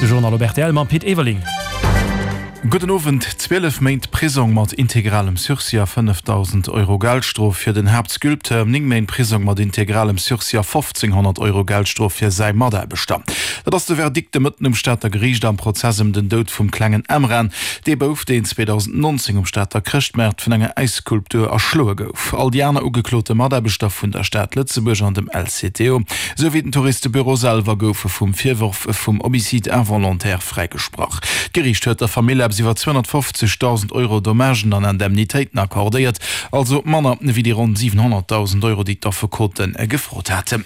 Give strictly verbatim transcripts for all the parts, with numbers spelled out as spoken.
De Journal op rtl mam Pit Everling. Gudden Owend. Zwielef Méint Prisong mat integralem Sursis a fënnefdausend Euro Geldstrof fir den Haaptsculpteur, néng Méint Prisong mat integralem Sursis a fofzénghonnert Euro Geldstrof fir säi Mataarbechter. Dat ass de Verdikt de Mëtten um Stater Geriicht am Prozess ëm den Doud vum klengen Emran, dee Bouf, deen zweedausendnonzéng um Stater Chrëschtmaart vun enger Äisskulptur erschloe gouf. All déi aner ugeklote Mataarbechter vun der Stad Lëtzebuerg an dem L C T O, esou wéi den Touristebüro selwer goufe vum Virworf vum Homicide involontaire fräigesprach. D'Geriicht huet der Famill eppes iwwer zweehonnertfofzegdausend Euro Dommagen an Indemnitéiten accordéiert, also manner wéi déi ronn siwenhonnertdausend Euro, déi d'Affekote gefrot haten.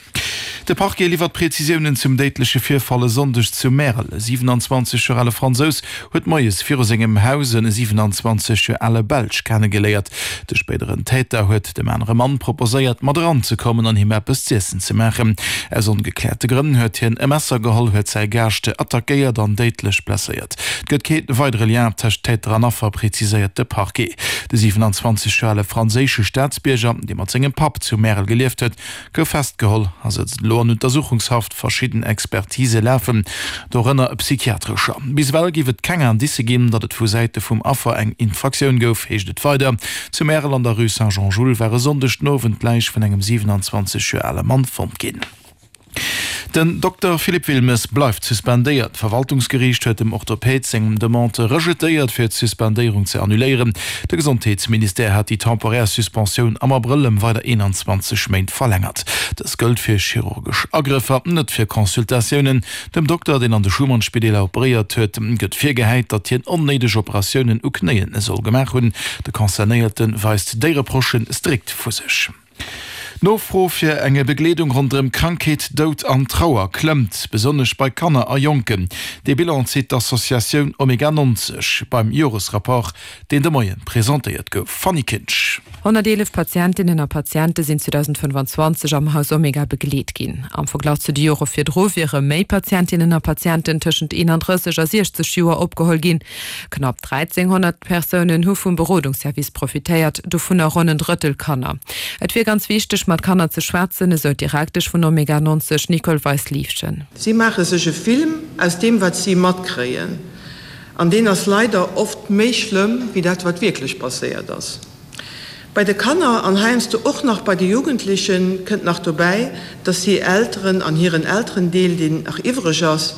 De Parquet liwwert Prezisiounen zum déidleche Virfall e Sonndeg zu Märel. E siwenanzwanzeg Joer ale Fransous huet moies viru sengem Haus e siwenanzwanzeg Joer ale Belsch kennegeléiert. De spéideren Täter huet dem anere Mann proposéiert, mat eranzekommen an him eppes z'iessen ze maachen. Aus ongekläerte Grënn huet hien e Messer geholl, huet säi Gaascht attackéiert an déidlech blesséiert. Et gëtt kee weidere Lien tëscht Täter an Affer, preziséiert de Parquet. De siwenanzwanzeg Joer ale franséische Staatsbierger, dee mat sengem Papp zu Märel gelieft huet, gouf festgeholl a sëtzt elo an Untersuchungshaft. Verschidden Expertise lafen, dorënner psychiatrescher. Bis ewell géif et keng Indicë ginn, datt et vu Säite vum Affer eng Infraktioun gouf, heescht et weider. Zu Märel an der Rue Saint-Jean-Jules war e Sonndeg den Owend d'Läich vun engem siwenanzwanzeg Joer ale Mann fonnt ginn. Den Dokter Philippe Wilmes bleift suspendéiert. D'Verwaltungsgeriicht huet dem Orthopäd seng Demande rejetéiert, fir d'Suspendéierung ze annuléieren. De Gesondheetsministère hat déi temporär Suspensioun am Abrëll ëm weider eenanzwanzeg Méint verlängert. Dës gëllt fir chirurgesch Agrëffer, net fir Consultatiounen. Dem Dokter, deen an de Schuman-Spideeler operéiert huet, gëtt virgehäit, datt hien onnéideg Operatiounen u Knéien soll gemaach hunn. De Concernéierte weist déi Reprochë strikt vu sech. D'Nofro fir eng Begleedung ronderëm Krankheet, Doud an Trauer klëmmt, besonnesch bei Kanner a Jonken. Dee Bilan zitt d'Associatioun Omega neunzeg beim Joresrapport, deen de Moie presentéiert gouf. Fanny Kinsch. Honnerteelef Patientinnen a Patiente sinn zweedausendfënnfanzwanzeg am Haus Omega begleet ginn. Am Verglach zu de Jore virdru wiere méi Patientinnen a Patienten tëschent eenandrësseg a siechzeg Joer opgeholl ginn. Knapp dräizénghonnert Persounen hu vum Berodungsservice profitéiert, dovunner ronn en Drëttel Kanner. Et wier ganz wichteg, mat Kanner ze schwätzen, esou d'Direktesch vun Omega neunzeg, Nicole Weis-Liefgen. Si maache sech e Film aus deem, wat si matkréien, an deen ass leider oft méi schlëmm wéi dat, wat wierklech passéiert ass. Bei de Kanner an heiansdo och nach bei de Jugendlechen kënnt nach dobäi, dass si hir Elteren an hiren Elterendeel, deen nach iwwreg ass,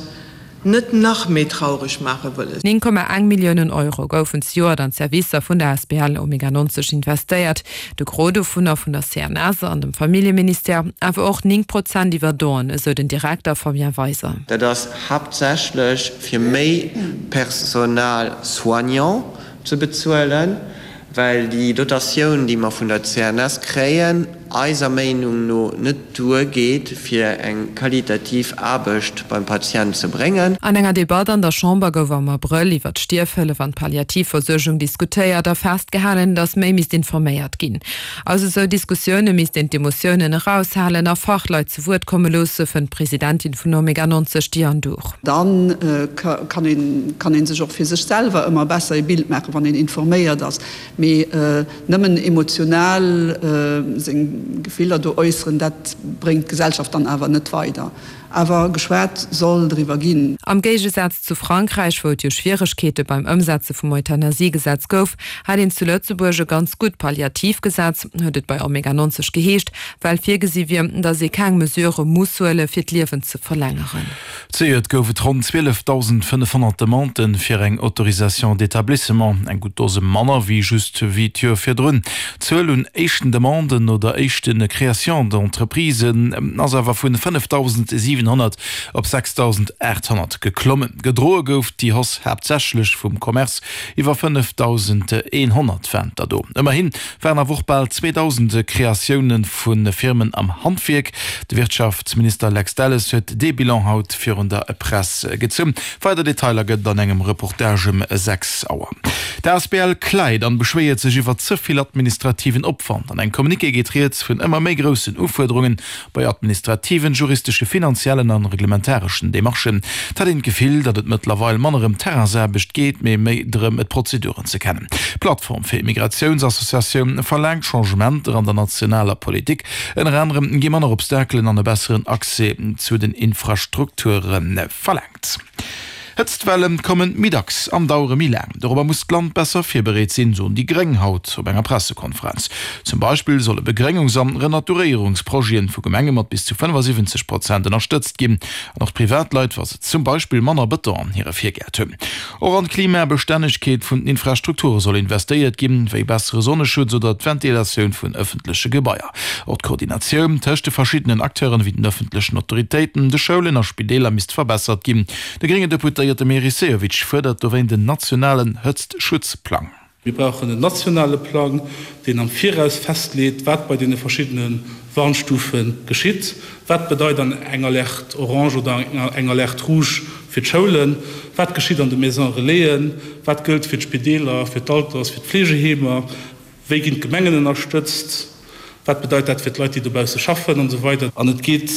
net nach méi traureg maache wëllen. Néng Komma eng Milliounen Euro goufen zejoert an d'Servicer vun der Asbl Omega neunzeg investéiert, de Gros dovunner vun der C N S an dem Familljeministère, awer och néng Prozent iwwer Donen, esou den Direkter Fabien Weiser. Dat ass haaptsächlech fir méi Personal soignant ze bezuelen, well déi Dotatioun, déi mer vun der C N S kréien, eiser Meenung no net duergeet, fir eng qualitativ Aarbecht beim Patient ze bréngen. An enger Debatt an der Chamber gouf am Abrëll iwwer d'Stierfhëllef an d'Palliativversuergung diskutéiert a festgehalen, datt méi misst informéiert ginn. Aus esou Diskussioune misst een d'Emotiounen eraushalen a Fachleit zu Wuert komme loosse, fënnt d'Presidentin vun Omega neunzeg, Diane Dhur. Dann kann een kann een sech och fir sech selwer ëmmer besser e Bild maachen, wann een informéiert ass. Mee nëmmen emotional seng Gefiller do äusseren, dat bréngt d'Gesellschaft dann awer net weider. Awer geschwat soll driwwer ginn. Am Géigesaz zu Frankräich, wou et jo Schwieregkeete beim Ëmsetze vum Euthanasiegesetz gouf, hätt een zu Lëtzebuerg e ganz gutt Palliativgesetz, huet et bei Omega neunzeg geheescht, well virgesi wier, datt ee keng Mesurë muss huele fir d'Liewen ze verlängeren. Zejoert gouf et ronn zwielefdausendfënnefhonnert Demanden fir eng Autorisation d'établissement, eng gutt Dose manner wéi just wéi d'Joer virdrun. D'Zuel un éischten Demanden oder éischte Créations d'entreprisen ass awer vun fënnefdausendsiwenhonnert op sechsdausendaathonnert geklommen. Gedroe gouf déi Hausse haaptsächlech vum Commerce, iwwer fënnefdausendeenhonnert waren der do. Ëmmerhi waren awer och bal zweedausend Kreatioune vu Firmen am Handwierk. De Wirtschaftsminister Lex Delles huet dee Bilan haut virun der Press gezunn. Weider Detailer gëtt et an engem Reportage ëm sechs Auer. D'A S B L kläit an beschwéiert sech iwwer ze vill administrativen Opwand. An engem Communiqué geet rieds vun ëmmer méi groussen Ufuerderungen bei administrativen, juristesche, finanziellen an reglementareschen Demarchen. Et hätt een d'Gefill, datt et mëttlerweil manner ëm Terrainsaarbecht geet, mee méi drëm, d'Prozeduren ze kennen. D'Plattform fir Immigratiounsassociatioun verlaangt Changementer an der nationaler Politik. Ënner anerem gi manner Obstakelen an e besseren Accès zu den Infrastrukture verlaangt. Hëtztwelle kommen méi dacks an dauere méi laang. Dorobber muss d'Land besser virbereet sinn, soen déi Gréng haut op enger Pressekonferenz. Zum Beispill solle Begréngungs an Renaturéierungsprojete vu Gemenge mat bis zu fënnefasiwwenzeg Prozent ënnerstëtzt ginn. An och d'Privatleit, wa se zum Beispill manner Bëton an hire Virgäert hunn. Och an d'Klimabestännegkeet vun den Infrastrukture soll investéiert ginn, wéi bessere Sonneschutz oder d'Ventilatioun vun ëffentleche Gebaier. Och d'Koordinatioun tëscht de verschiddenen Acteuren, wéi den ëffentlechen Autoritéiten, de Schoulen a Spideeler misst verbessert ginn. De gréngen Deputéierte Meris Sehovic fuerdert dowéint en nationalen Hëtztschutzplang. Mir brauchen en nationale Plang, deen am Viraus festleet, wat bei deene verschiddene Warnstufe geschitt. Wat bedeit dann eng Alerte orange oder eng Alerte rouge fir d'Schoulen? Wat geschitt an de Maisons relaisen? Wat gëllt fir d'Spideeler, fir d'Alters-, fir d'Fleegeheemer? Wéi ginn d'Gemengen ënnerstëtzt? Wat bedeit dat fir d'Leit, déi dobausse schaffen? An esou weider. An et geet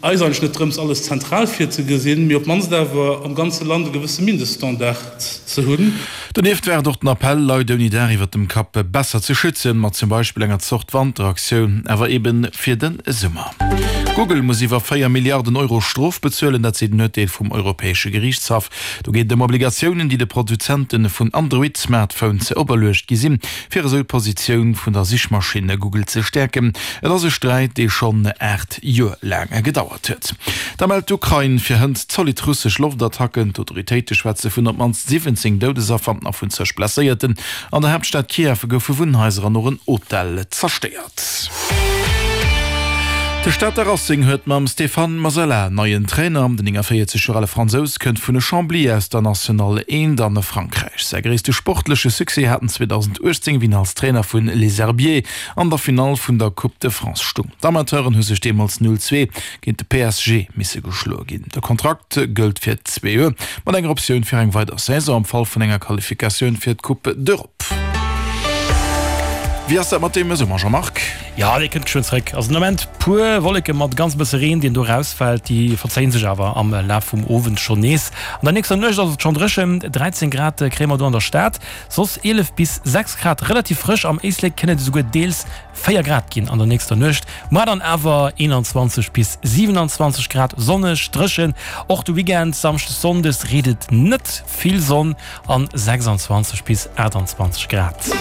eis eigentlech net drëms, alles zentral virzegesinn, mee op d'mannst awer am ganze Land e gewësse Mindeststandard ze hunn. Donieft war et och den Appell, Leit ouni Daach iwwer dem Kapp besser ze schützen, mat zum Beispill enger Zort Wanteraktioun, awer eebe fir de Summer. Google muss iwwer véier Milliarden Euro Strof bezuelen, dat seet en Urteel vum Europäesche Geriichtshaff. Do geet et ëm Obligatiounen, déi de Produzente vun Android-Smartphones operluecht gi sinn, fir esou d'Positioun vun der Sichmaschinn Google ze stäerken. Et ass e Sträit, dee schonn aacht Joer laang gedauert huet. Da mellt d'Ukrain fir hënt zolidd russesch Loftattacken. D'Autoritéite schwätze vun op d'mannst siwwenzéng Doudesaffer a vun zeg Blesséierten. An der Haaptstad Kiew goufe Wunnhaiser an och en Hotel zerstéiert. De Stater Racing huet mam Stéphane Masella en neien Trainer. Den néngunvéierzeg Joer ale Fransous kënnt vun Chambly aus der National eent an Frankräich. Säi gréisste sportleche Succès hat en zweedausenduechtzéng, wéi en als Trainer vun Les Herbiers an der Finall vun der Coupe de France stung. D'Amateuren hu sech deemools null zwee géint de P S G misse geschloe ginn. De Kontrakt gëllt fir zwee Joer, mat enger Optioun fir eng weider Saison am Fall vun enger Qualifikatioun fir d'Coupe d'Europe. Wéi ass dat mat deem Summer, Jean-Marc? Jo, dee kënnt geschwënn zréck. Also den Ament puer Wolleke mat ganz bësse Reen, deen do rausfält. Déi verzéien sech awer am Laf vum Owend schonn nees. An der nächster Nuecht ass et schonn dréchen, dräizéng Grad kréie mer do an der Stad, soss eelef bis sechs Grad, relativ frësch. Am Éislek kënnen et esouguer deels véier Grad ginn an der nächster Nuecht. Muer dann awer eenanzwanzeg bis siwenanzwanzeg Grad, sonneg, dréchen. Och de Weekend, Samschdes, Sonndes, reet et net, vill Sonn an sechsanzwanzeg bis aachtanzwanzeg Grad.